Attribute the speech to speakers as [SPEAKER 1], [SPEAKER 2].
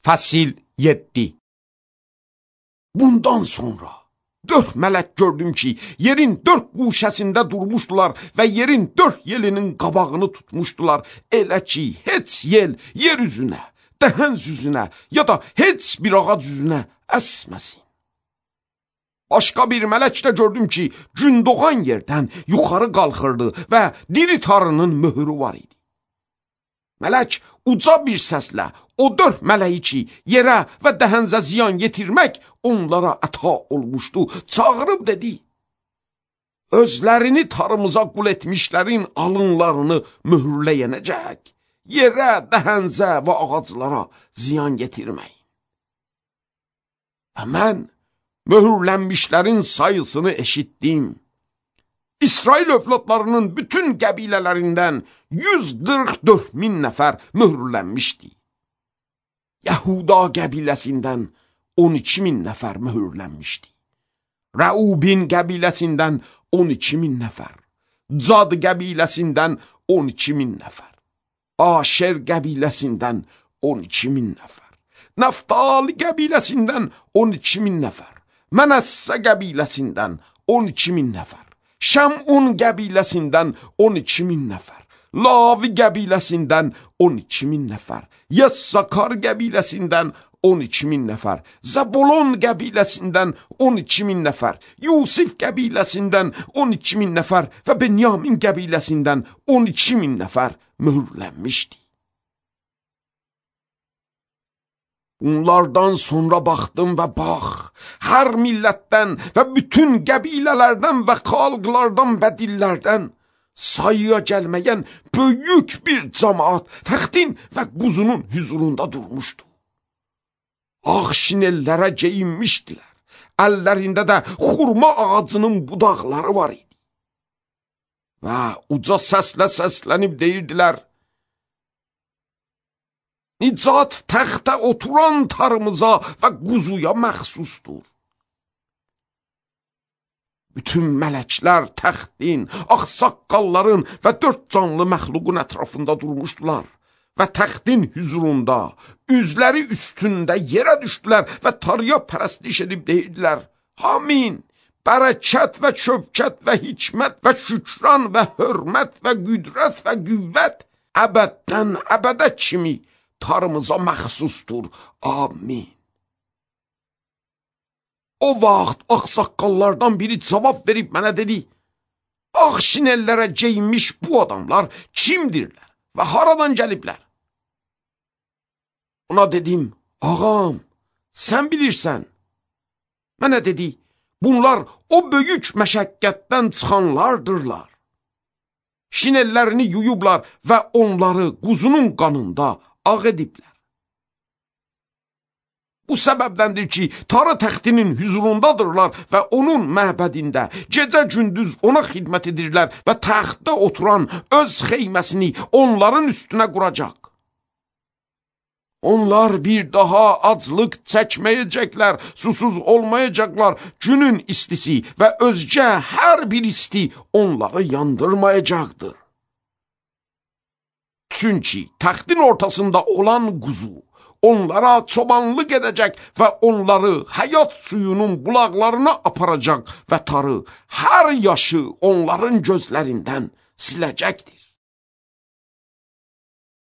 [SPEAKER 1] Fəsil 7. Bundan sonra 4 mələk gördüm ki, yerin 4 quşəsində durmuşdular və yerin 4 yelinin qabağını tutmuşdular. Elə ki, heç yel yer üzünə, dəhəz üzünə ya da heç bir ağac üzünə əsməsin. Başqa bir mələk də gördüm ki, gün doğan yerdən yuxarı qalxırdı və diri tarının möhürü var idi. Mələk uca bir səslə o 4 mələyi ki, yerə və dəhənzə ziyan yetirmək onlara əta olmuşdu, çağırıb dedi: özlərini tarımıza qul etmişlərin alınlarını möhürləyənəcək, yerə, dəhənzə və ağaclara ziyan yetirməyin. Və mən möhürlənmişlərin sayısını eşitdim. İsrail övladlarının bütün qəbilələrindən 144.000 nəfər möhürlənmişdi. Yahuda qəbiləsindən 12.000 nəfər möhürlənmişdi. Rəubin qəbiləsindən 12.000 nəfər. Cad qəbiləsindən 12.000 nəfər. Aşer qəbiləsindən 12.000 nəfər. Naftali qəbiləsindən 12.000 nəfər. Mənəssə qəbiləsindən 12.000 nəfər. Şəmun qəbiləsindən 12.000 nəfər. Lavi qəbiləsindən 12.000 nəfər. Yəssakar qəbiləsindən 12.000 nəfər. Zəbolon qəbiləsindən 12.000 nəfər. Yusif qəbiləsindən 12.000 nəfər və Benyamin qəbiləsindən 12.000 nəfər möhürlənmişdi. Bunlardan sonra baxdım və bax, hər millətdən və bütün qəbilələrdən və xalqlardan və dillərdən sayıya gəlməyən böyük bir cəmaat təxtin və quzunun hüzurunda durmuşdu. Ağ şinellərə geyinmişdilər, əllərində də xurma ağacının budaqları var idi. Və uca səslə səslənib deyirdilər: nicat təxtə oturan tarımıza və quzuya məxsusdur. Bütün mələklər təxtin, ağsaqqalların və 4 canlı məxluqun ətrafında durmuşdular və təxtin hüzurunda, üzləri üstündə yerə düşdülər və tarıya pərəstiş edib deyirdilər: amin, bərəkət və şövkət və hikmət və şükran və hörmət və qüdrət və qüvvət əbəddən əbədə kimi tarımıza məxsusdur. Amin. O vaxt ağsaqqallardan biri cavab verib mənə dedi: ağ şinellərə geyinmiş bu adamlar kimdirlər və haradan gəliblər? Ona dedim: ağam, sən bilirsən. Mənə dedi: bunlar o böyük məşəqqətdən çıxanlardırlar. Şinellərini yuyublar və onları quzunun qanında ağ ediblər. Bu səbəbdəndir ki, tarı təxtinin hüzurundadırlar və onun məbədində gecə-gündüz ona xidmət edirlər və təxtdə oturan öz xeyməsini onların üstünə quracaq. Onlar bir daha aclıq çəkməyəcəklər, susuz olmayacaqlar, günün istisi və özgə hər bir isti onları yandırmayacaqdır. Çünki təxtin ortasında olan quzu onlara çobanlıq edəcək və onları həyat suyunun bulaqlarına aparacaq və tarı hər yaşı onların gözlərindən siləcəkdir.